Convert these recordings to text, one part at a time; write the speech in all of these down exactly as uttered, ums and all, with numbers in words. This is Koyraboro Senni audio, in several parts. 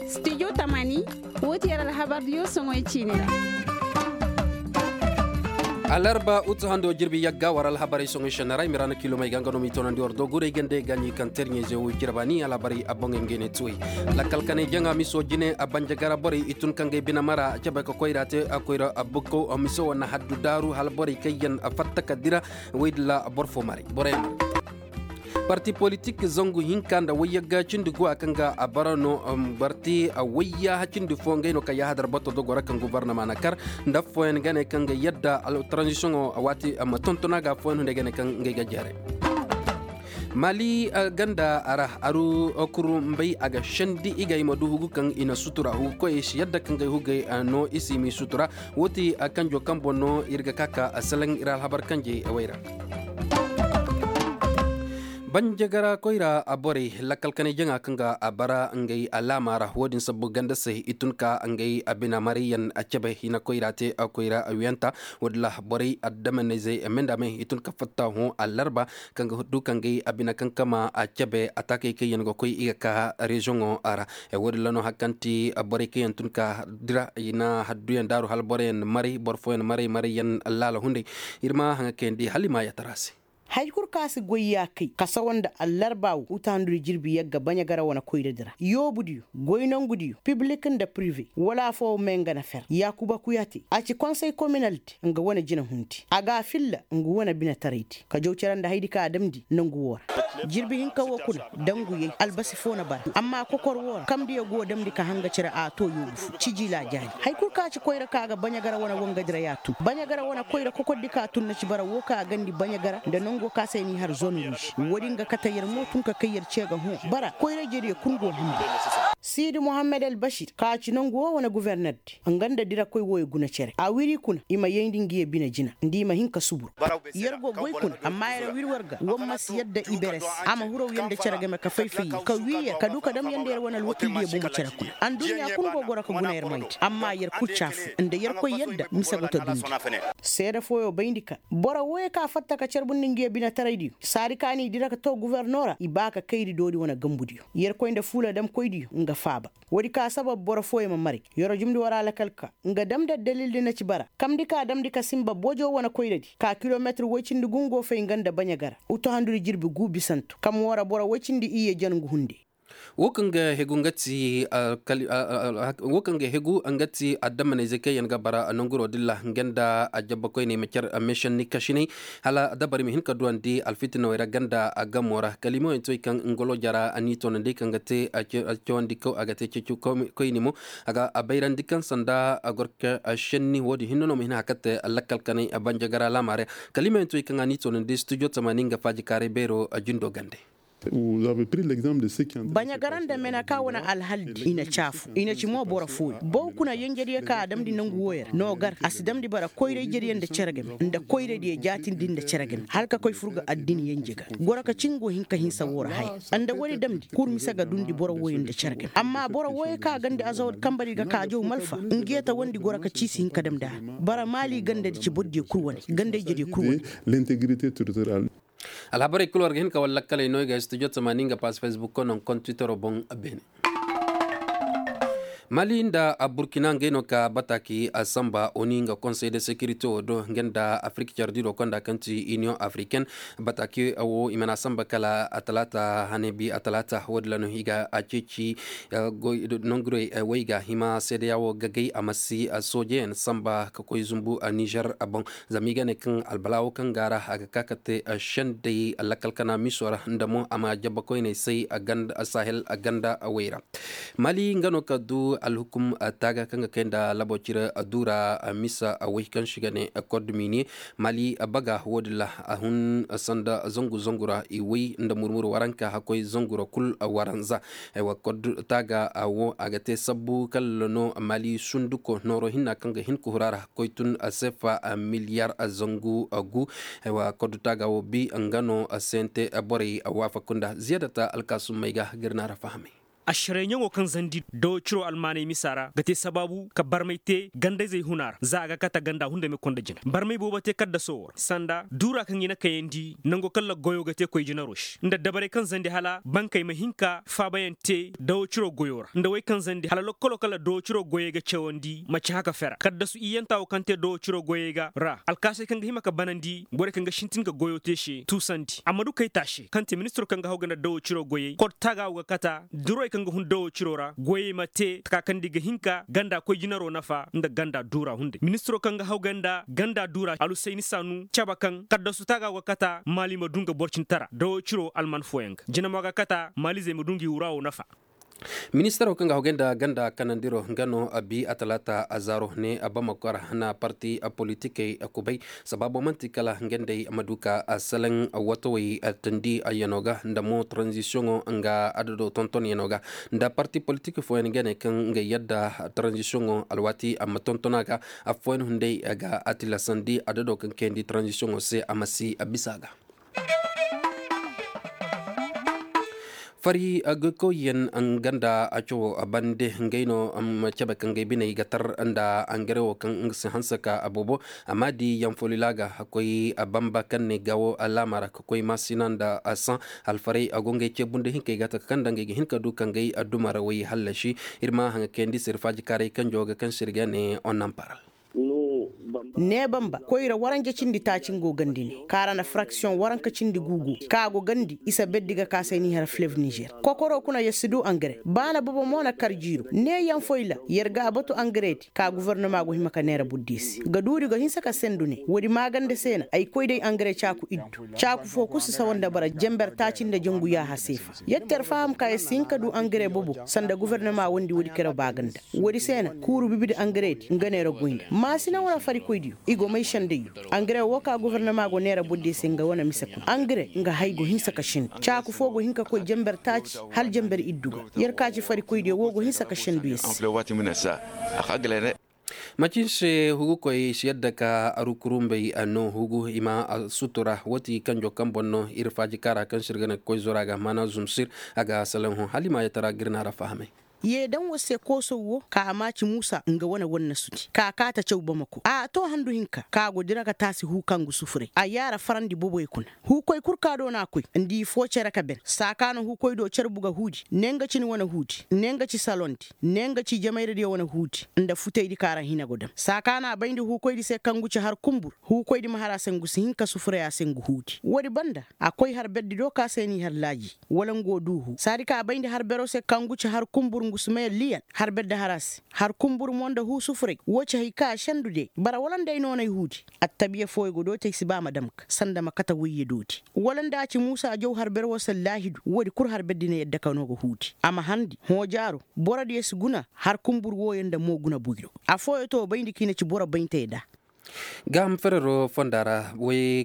Studio tamani, woo ti yer alhabar diyo soŋoy ciini ra. Alarba utu hando jirbi yagga war alhabarey soŋoy sennara i ma ra na kilomey ga nga no m'i toonandi war do guray gande ga ɲi kaŋ terɲey ze wo jirba ni alhabarey a boŋey ma gay ne tuwey. Lakkal kaney jaŋa miso jine a banjagara borey i tun kaŋ ga ay bine mara a cabe ka koyra te a koyra a bukkaw a miso wane haddu daaru hala borey kaŋ yaŋ a fatta ka dira. Woy dilla boro fo maray boro yaŋ maray. Parti politik zangu hinka nda wayyagga cindi guwa kaŋ ga a bara no. Parti wayyaha cindi fo ngey no kaŋ yahadar bato dogo ra kaŋ gubarnama na kar nda affooyaŋ ga ne kaŋ ga yadda tranzisiyoŋo waati ma tontona ga affooyaŋ hunday ga ne kaŋ ngey ga jeeray. Mali ganda ra aru kurumbay a ga sendi i ga i ma du hugu kaŋ i na sutura hugu koyey si yadda kaŋ ga ay hugey no i si m'i sutura. Woo ti kanjo kaŋ boŋ no ir ga ka ka salaŋ ir alhabar kanjey way ra. Banjagara koyra borey lakkal kanay jaŋa kaŋ ga a bara ngey alaama ra woo din sabbu ganda se i tun ka ngey bina marayyaŋ a cabe hina koyra te koyra wiyanta. Woo din ra borey addamanizey mendamey i tun ka fatta hõ alarba kaŋ ga du ka ngey bina kankama a cabe ataakey kaŋ yaŋ ga koy i ga ka reziyoŋo ra. Woo din ra no hari kaŋ ti borey kaŋ yaŋ tun ka dira i na hadduyaŋ daaru hala boroyaŋ maray boro fooyaŋ maray marayyaŋ laala hunday. Ir ma haŋa kayandi hala i ma yaatara se. Hay kul kaŋ a si goy ya kay kasawa nda allarba wo uta handudi jirbi yagga baɲagara wane koyradi ra yoobudiyo goy nongudiyo piblik nda pirive wala afooyaŋ me nga na fer yaakuba kuyate a ci konsey kominaldi nga wane jinahundi a ga a filla nga wane binetaraydi ka jaw cere nda haydi kaŋ a damndi nangu woo ra. Jirbi hinka woo kuna danguyey albasi foo na bara amma kokor woo ra kamdiyo go damndi ka hanga cere a too yoobu fo cijila jaani. Hay kul kaŋ a ci koyra kaŋ a ga baɲagara wane wangadi ra y'a tun baɲagara wane koyra kokordi kaŋ a tun na ci bara woo kaŋ a gandi baɲagara nda nangoo kaŋ a se n'i har zone ruuž. Woodin ga kate yer mo tun ka kay yer ce ga hõ bara koyra-ijediyo kul go hamba. Siidi mohammed albasir kaŋ a ci nangu woo wane guvernerdi nga nda dirakoy wooyo guna cere a wiri kuna i ma yayndi ngiyo bine jina nda i ma hin ka subur. Yer go goy kuna amma yer wiri war ga war ma si yadda iberes a ma huraw yer nda cere game ka fay-fay yer ka wii yer ka du ka dam yer nda yer wane alwakildiyo bomo cere kuna. Adduɲɲa kul go goro ka guna yer moydi amma yer kul caafu nda yer koy yadda mise go ta dundi. Seede fooyo bayndi ka boro wooyo kaŋ a fatta ka carbundi ngiyo binetaraydiyo saadi kaŋ n'i dira ka too guverno ra i ba ka kayri doori wane gambudiyo yer koy nda fuula damkoydiyo nga faaba. Woodi ka sabab boro fooyaŋ ma maray. Yer jumndi war a lakal ka nga damndi addalildi na ci bara kamndi ka damndi ka sinba bojo wane koyradi ka kilometir woy cindi gungo fay nga nda baɲa gara utu handudi jirbi gu bisantu kam woo ra boro woy cindi iyye jangu hunde. Woo kaŋ ga hegu nga ti woo kaŋ ga hegu nga ti addamanayzey kaŋ yaŋ ga bara nanguro dilla nga nda ajabbakoyney ma care meesenni kasinay hala dabari ma hin ka duwandi alfitinawey ra ganda agamo ra kala i mo yaŋ ti wey kaŋ ngolo jara a n'i toonandi kaŋ ga te cawandi kaw a ga te ceeci koyni mo. A ga a bayrandi kaŋ sanda a goro ka senni woodin hinne no ma hin a kate lakkal kanay banjagara laamaarey. Kala i ma yaŋ ti wey kaŋ a n'i toonandi studio tamaani nga faajikaaray beero jindo gande. Baɲagara nda meneka wane alhaldi i na caafu i na ci mo boro fooyaŋ baw kuna yenjediyo kaŋ a damndi nangu wooyo ra no gar a si damndi bara koyra-ijediyo nda cere game nda koyradiyo jaatindi nda cere game hala ka koy fur ga addin yenje ga goro ka ci ngo hin ka hinsa woo ra haya. Nda woodi damndi kul mise ga dundi boro wooyo nda cere game amma boro wooyo kaŋ a gandi azawad kambadi ga ka jaw malfa ngiyo tawandi goro ka ci si hin ka damndi a ra. Bara maali gandadi ci borodiyo kul wane ganda-ijediyo kul wane. Alhabarey kul war ga hin ka war lakkaley no i ga studio tamaani nga pass facebook ko non kon twittero boŋ. Beene. Mali nda burkina ngey no ka bataki a samba oni nga konsey de securité wo do nga nda afrik cardiro konda kaŋ ti union africaine. Bataki wo i mana samba kala a talaata hane bi a talaata wo- din ra no i ga a ceeci nongurey wo i ga hima seedeya wo gagay a ma si soojeyaŋ samba ka koy zumbu nizer boŋ. Zama i ga ne kaŋ albalawo kaŋ ga a ra a ga ka ka te sendey lakkal kana miso ra nda mo a ma jabba koyney say sahel ganda wey ra. Mali nga no ka du alhukum taaga kaŋ ga kay nda labo cire du ra misa wey kaŋ se i ga ne kod miniye. Mali baga wo- din ra a hun sanda zangu zangu ra i way nda murmur waranka hakkoy zangu ra kul waranza. Aywa kod taaga wo a ga te sabbu kala no mali sunduko nooro hinna kaŋ ga hin ka hura ra koy tun sefa miliyar zangu gu. Aywa kod taaga wo bi nga no sente borey waafakunda ziyadata alkaasummey ga ga ir na ra fahamay. Ašaray ɲaŋo kaŋ zandi dawo ciro almaaney misa ra ga te sabaabu ka barmay te gandayzey huna ra za a ga kata ganda hunday ma konda jina barmay boobo te kaddaso wo ra sanda duura kaŋ i na kayandi nango kaŋ la goyo ga te koy jinaro se nda dabarey kaŋ zandi hala bankey ma hin ka faabayaŋ te dawo ciro goyo ra nda wey kaŋ zandi hala lokkolo kaŋ la dawo ciro goyey ga cawandi ma ci haka fera kaddasu iyyanta wo kaŋ te dawo ciro goyey ga ra alkaasey kaŋ ga hima ka banandi borey kaŋ ga sintin ka goyo te se tuusandi amma du kay taase kaŋ te ministiro kaŋ ga haw ga nda dawo ciro goyey kod taaga wo ga kata durey kaŋ ga hun dawo ciro ra goyey ma te taka kaŋ da i ga hin ka ganda koy jinaro nafa nda ganda duura hunday ministiro kaŋ ga haw ga nda ganda duura alusayni saanu cabe kaŋ kaddasu taaga go kata maali ma du nga boro cindi tara dawo ciro alman fooyaŋ ga jinamo ga kata maalizey ma du ngi wura wo nafa. Ministaro kaŋ ga haw ga nda ganda kanandiro nga no a bi a talaata a zaaro ne a bamako ra na parti politikey kubay sabaabo man'ti kala nga nd'ey ma du ka a salaŋ watawey tandi yano ga nda mo taranzisiyoŋo nga adado tontonyaŋo ga nda parti politik fooyaŋ ga ne kaŋ nga yadda taranzisiyoŋo alwaati a ma tonton a ga affooyaŋ hunday ga a tilasandi adado kaŋ kayandi taranzisiyoŋo se a ma si a bisa a ga. Fari agaykoyyaŋ nga nda a cawo bande ngey no ma cabe kaŋ gay biney ga tar nda angare wo kaŋ nga si hanse ka a boobo a ma di yaŋ folila ga koy bamba kaŋ ne gawo alaama ra ka koy maasina nda a saŋ alfaray a go ngey ceebu nda hinkey ga taka kaŋ nda ngey ga hin ka du kaŋ gay duma ra way hallasi ir ma haŋa kayandi sirfaaji kaaray kanjo ga kaŋ sirga ne onnamparal. Ne bamba koyra waranja cindi taaci nga go gandi ne kaara nda fraksiyoŋ waranka cindi guugu ka go gandi isa berdi ga kaasay ni har flev nizer kokoro kuna yer si du angare baana bobo mo na kar jiiro ne yaŋ foyla yer ga a batu angaredi ka gofornama go hima ka neera burdi se ga duudi go hinsa ka sendu ne woodi maaganda se na ay koy day angare caaku iddu caaku fo kul si sawa nda bara jenber taaci nda jangu yaaha seefa yer ter faham ka yer si hin ka du angare bobo sanda gofornama wondi woodi kere baaganda woodi se na kuuru bibidi angaredi nga neera goy nda maasina wane farikoydiyo i go may sendayyo angare wo ka gofornama go neera bordiyo se nga wane mise kuna angare nga hay go hinsa ka sendu caaku fo go hin ka koy jenber taaci hala jenber iddu ga yer ka ci farikoydiyo wo go hinsa ka sendu yer se. Macin se hugukoy si yadda ka aru kurumbey no hugu i ma sutura wati kanjo kaŋ boŋ no ir faaji kaara kaŋ sir ga ne ga koy zora ga maana zumsir a ga salaŋ hõ hala i ma yatara ga ir na ra fahamay. Ye daŋ war se koosow wo ka a maaci muusa nga wane war na suti ka kaata caw bamako a to handu hinka ka go dira ga taasi huu kaŋ ga sufuray a yaara farandi boboy kuna huukoy kul ka do na a koy nda i foo cere ka ben saa ka na huukoy do carbu ga huudi ne nga ci ni wane huudi ne nga ci salondi ne nga ci jamayradiyo wane huudi nda futaydi ka ra hina go dam saa ka na a bayndi huukoydi se kaŋ gu ci har kumbur huukoydi ma har a se ngu si hin ka sufuray a se ngu huudi woodi banda a koy har berdi do ka se n'i har laaji wala ngu wo du huu saadi ka a bayndi har bero se kaŋ ngu ci har kumbur ngu si may alliyan har berdi har a se har kumbur mo nda huu sufuray wo ci hay ka a sendu de bara wala nda ay noonay huudi attabiya fooyo go dooti ay si ba ma dam ga sanda ma kate woyye dooti wala nda a ci muusa jaw har ber wo se laahidu woodi kul har berdi na yadda ka no ga huudi a ma handi hõojaaro borodiyo si guna har kumbur wooyo nda mo guna buyro afooyo to bayndi ka i na ci boro bayntey da gaaham ferero fonda ra way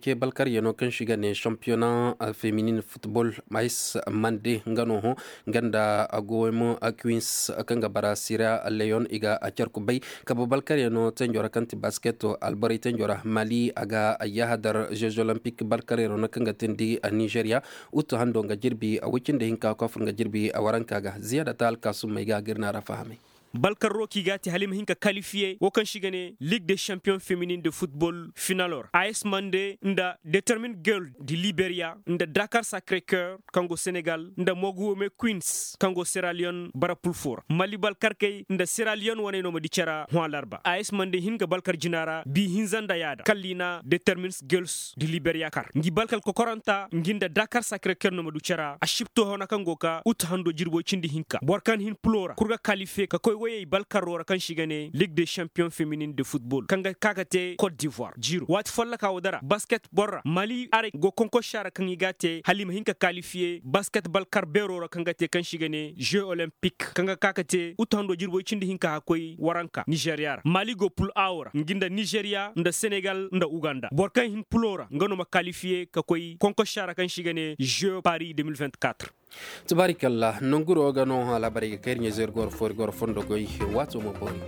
ce balkaryanoo kaŋ se i ga ne sampiyona feminin futbol mais mande nga no hõ nga nda goymo kwins kaŋ ga bara sira leon i ga car kubay kabe balkaryanoo tenjo ra kaŋ ti basketo alborey tenjo ra mali a ga yahadar jeux olympique balkaryanoo no kaŋ ga teendi nizeriya utu hando nga jirbi woy cindi hinka kofur nga jirbi waranka ga ziyada ta alkaasumey ga ga ir na ra fahamay balkarro kaŋ i ga a te hala i ma hin ka kalifiye wo kaŋ se i ga ne ligue de champion feminin de futbol finalo ra a s mande nda determine girl de liberia nda dakar sacre coeur kaŋ go senegal nda moguwome queens kaŋ go sierra leone bara pulfo ra mali balkarkey nda sierra leone waney no ma di cara hõ alarba a s mande hin ga balkar jina ra bi hinza nda yaada kala i na determine girls de liberia kar ngi balkar kokoranta ngi nda dakar sacre coeur no ma du cara a sipto hona kaŋ go ka utu hando jirbo cindi hinka boro kaŋ hin pulo ra kul ga kalife ka koy wayey balkarro ra kaŋ se i ga ne ligue de champion feminin de futbol kaŋ ga ka ga te cote d'ivoire jiiro waati folloka wo dara basket boro ra mali arey go konkosa ra kaŋ i ga a te hala i ma hin ka kalifiye basket balkar beero ra kaŋ ga te kaŋ se i ga ne jeux olympique kaŋ ga ka ga te utu hando jirbo cindi hinka ka koy waranka nizeriya ra mali go pul a wo ra ngi nda nizeriya nda senegal nda uganda boro kaŋ hin pulo ra nga no ma kalifiye ka koy konkosa ra kaŋ se i ga ne jeux paris deux mille vingt-quatre. Tubaarikalla nonguro ga no hã laabarey ga kay ir ɲa-izey ir go war fo ir go war fondo goy waato ma boori.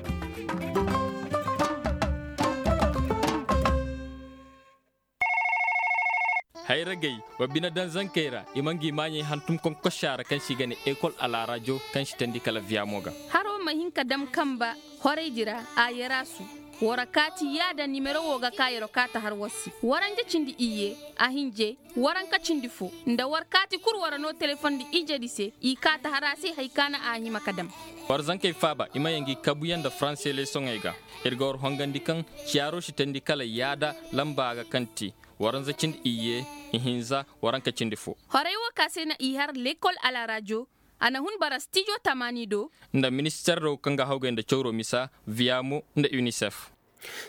Hayragey, wa bine daŋ zankey ra, i ma ngi maaɲey hantum konkosa ra kaŋ se i ga ne ekol alaarajo, kaŋ si teendi kala viyamo ga. Haro ma hin ka dam kamba horaydi ra, a yaraasu. War kaati yaada nimero wo ga ka yero kaata har war se. Waranja cindi iyye, a hinje, waranka cindi fo, nda war kaati kul war no telefoŋ nda ijedi se, i kaata har a se hari ka na a hima ka dam. War zankey faaba, i ma yaŋ ngi kabuyaŋ nda faranse leesoŋey ga. Ir ga war hongandi kaŋ ciyaaro si teendi kala yaada lamba ga kaŋ ti, waranza cindi iyye, ihinza, waranka cindi fo. Horay wo ka se na i har lekol alaarajo, a na hun bara stijo tamaani do. Nda minister do kaŋ ga hawgay nda cawro misa, viyamo nda unicef.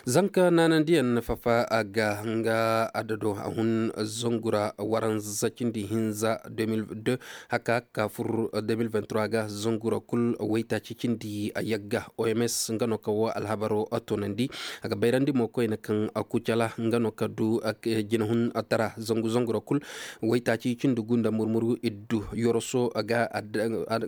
Zanka naanandiyaŋ fafa a ga nga adado a hun, zangura waranza cindi hinza deux mille deux, haka ka fur deux mille vingt-trois ga zangura kul waytaaci cindi a yagga. Oms nga no ka wo alhabaro toonandi. A ga bayrandi mo koyne kaŋ kucala nga no ka du jinahun tara zangu zangura kul waytaaci cindi gu nda murmuru iddu yoroso ga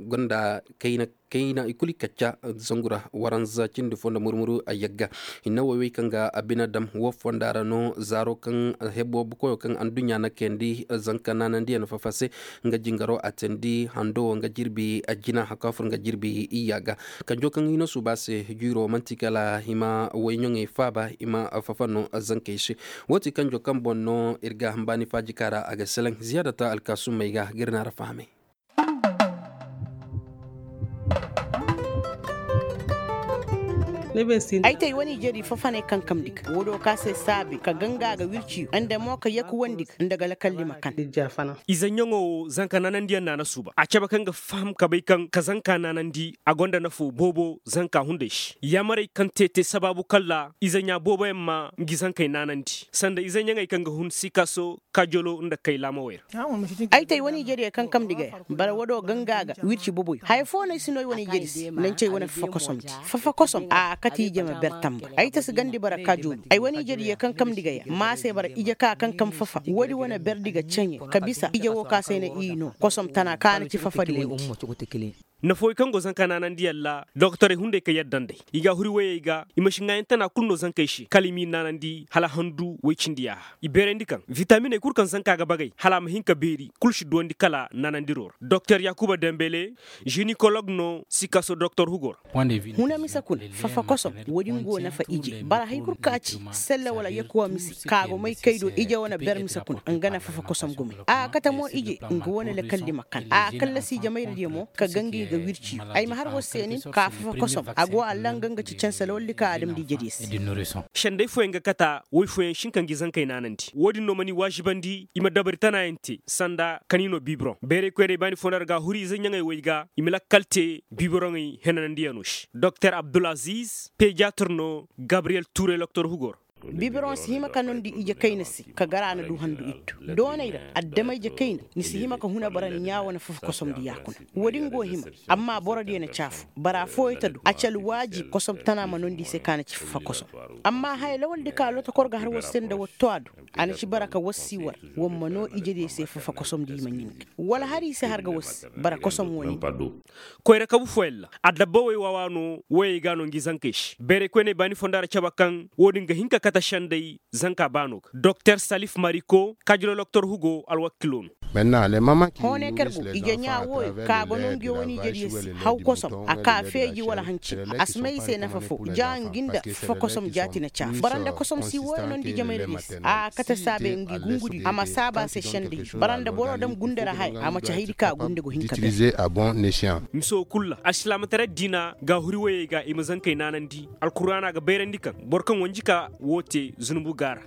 gonda kayna kayna i kulu i kacca zangura waranza cindi fo nda murmuru a yagga. Hinne woy wey kaŋ ga a bine dam wo fonda ra no zaaro kaŋ hebo bukoyo kaŋ anduɲɲa na kayandi zanka naanandiyaŋ fafa se. Nga jingaro a teendi hando wo nga jirbi a jina haka fur nga jirbi iyya ga. Kanjo kaŋ hino suuba se jiiro man'ti kala i ma wayɲoŋey faaba i ma fafa no zankey se. Wo ti kanjo kaŋ boŋ no ir ga hambaani faajika ra a ga selaŋ ziyaadata alkaasummey ga ga ir na ra fahamay. Ay te ay wane ijedi fafaney kaŋ kamndi ga woo do ka se saabe ka ganga ga wirci nda mo ka yakuwandi ga nda ga lakalli ma kan. Ize ɲaŋo wo zanka naanandiyaŋ naana suuba a cabe kaŋ ga faham ka bay kaŋ ka zanka naanandi a gonda nafo boobo zanka hunday se yaamarey kaŋ te te sabaabu kalla ize ɲaa booboyaŋ ma ngi zankey naanandi sanda ize ɲaŋey kaŋ ga hun sikaso kajolo nda kay laamawey ra. Ay te ay wane ijediyo kaŋ kamndi ga ya bara woo do ganga ga wirci boboyo haya fo no ay si no ay wane ijedi se naŋ ci ay wane fafa kosomdi. Fafa kosom a kate ije ma ber tamba ay ta si gandi bara kaajoolu ay wane ijediyo kaŋ kamndi ga ya ma se bara ije ka kaŋ kam fafa woodi wane berdi ga ceɲe ka bisa ije wo ka se ay na i no kosom tana ka na ci fafadi wandi. Nafawey kaŋ go zanka naanandiyaŋ ra doktorey hunday ka yadda nd'ey i ga a huri woyey ga i ma si ŋaayan tana kul no zankey se kala i m'i naanandi hala handu woy cindi yaaha i beerandi kaŋ vitaminey kul kaŋ zanka ga bagay hala a ma hin ka beeri kul si duwandi kala naanandiro ra doktor yaakuba dembele, jinikolog no sikaso doktor hugo ra. Huna mise kuna fafa kosom woodin go nafa ije bara hari kul ka ci selle wala yakuwa mise ka go may kay do ije wane ber mise kuna nga na fafa kosom gume a kate mo ije nga wane lakalli ma kan a kallasi jamayradiyo mo ka gangi ga wirciyo ay ma har war se nin ka fafa kosom a go allanga nga ci canse lawaldi ka adamdi ijediyo se. Senday fooyaŋ ga kata woy fooyaŋ si hin ka ngi zankey naanandi woodin no mana i waazibandi i ma dabari tanaayaŋ te sanda kaniino bibiroŋ bayray koyney baani foo nda ra ga a huri ize ɲaŋey woy ga i ma lakkal te bibiroŋey henanandiyaŋo se doktor abdulaziz pediyatir no gabriyel tuure loktor hugo ra. Bibiroŋ si hima ka nondi ije kayna se ka gar a na du handu iddu dooney ra adama ije kayna ni si hima ka huna bara ni ɲaa wane fafa kosomdi yaakuna woodin go hima amma borodiyo na caafu bara fooyo ta du a ci alwaajib kosom tana ma nondi i se ka na ci fafa kosom. Amma haya lawaldi ka lotokor ga har war se nda war to a do a na ci bara ka war si war war ma no ijediyo se fafa kosomdi i ma ɲin ga wala har i se har ga war se bara kosom wo nin. Koyra kabu fooyaŋ ra adabbawey waawaa no woyey ga no ngi zankey se bayray koyney baani fonda ra cabe kaŋ woodin ga hin ka kate senday zanka baano ga doktor salif mariko kajiro loktor hugo alwakiilo no. Hoonay kaŋ go ije ɲaa wooyo ka go no ngi wane ijediyo se haw kosom a ka feeji wala hanci a si may i se nafa foo ja ngi nda fafa kosom jaati na caafu bara nda kosom si wooyo no nda ijemayradiyo se a kate saabe ngi gungudi a ma saaba a se senday bara nda boro dam gundara haya a ma ci hayadi ka gunde go hin ka bay. Mise wo kul ra alsilaamataray diina ga a huri woyey ga i ma zankey naanandi alkuraana ga bayrandi kaŋ boro kaŋ wanji ka woo te zunubu ga a ra.